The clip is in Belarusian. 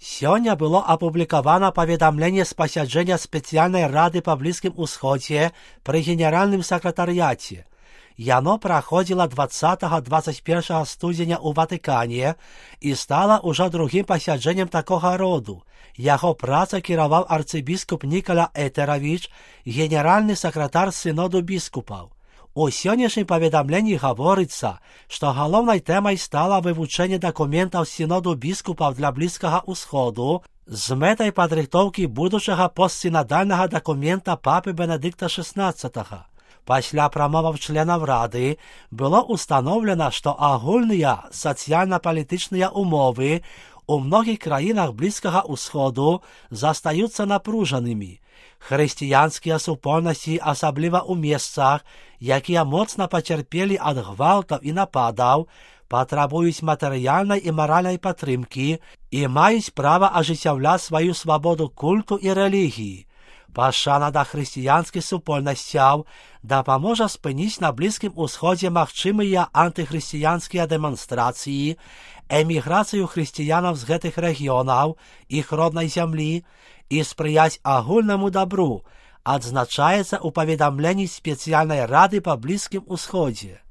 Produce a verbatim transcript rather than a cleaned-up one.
Сёння было апублікавана паведамленне з пасяджэння спецыяльнай рады па Блізкім Усходзе пры генеральным сакратарыяце. Яно праходзіла дваццатага — дваццаць першага студзеня ў Ватыкане і стала ўжо другім пасяджэннем такога роду. Яго праца кіраваў арцыбіскуп Нікола Этеравіч, генеральны сакратар сыноду біскупаў. У сённяшнім паведамленні гаворыцца, што галоўнай тэмай стала вывучэнне дакументаў сіноду біскупаў для Блізкага Ўсходу з мэтай падрыхтоўкі будучага постсінадальнага дакумента папы Бенедыкта шаснаццатага. Пасля прамоваў членаў рады было ўстаноўлена, што агульныя сацыяльна-палітычныя умовы у многіх краінах Блізкага Ўсходу застаюцца напружанымі. Хрысціянскія супольнасці, асабліва ў месцах, якія моцна пацярпелі ад гвалтаў і нападаў, патрабуюць матэрыяльнай і маральнай падтрымкі і маюць права ажыццяўляць сваю свабоду культу і рэлігіі. Пашана да хрысціянскіх супольнасцяў дапаможа спыніць на Блізкім Усходзе магчымыя антыхрысціянскія дэманстрацыі, эміграцыю хрысціянаў з гэтых рэгіёнаў, іх роднай зямлі, і спрыяць агульнаму дабру, адзначаецца ў паведамленні спецыяльнай рады па Блізкім Усходзе.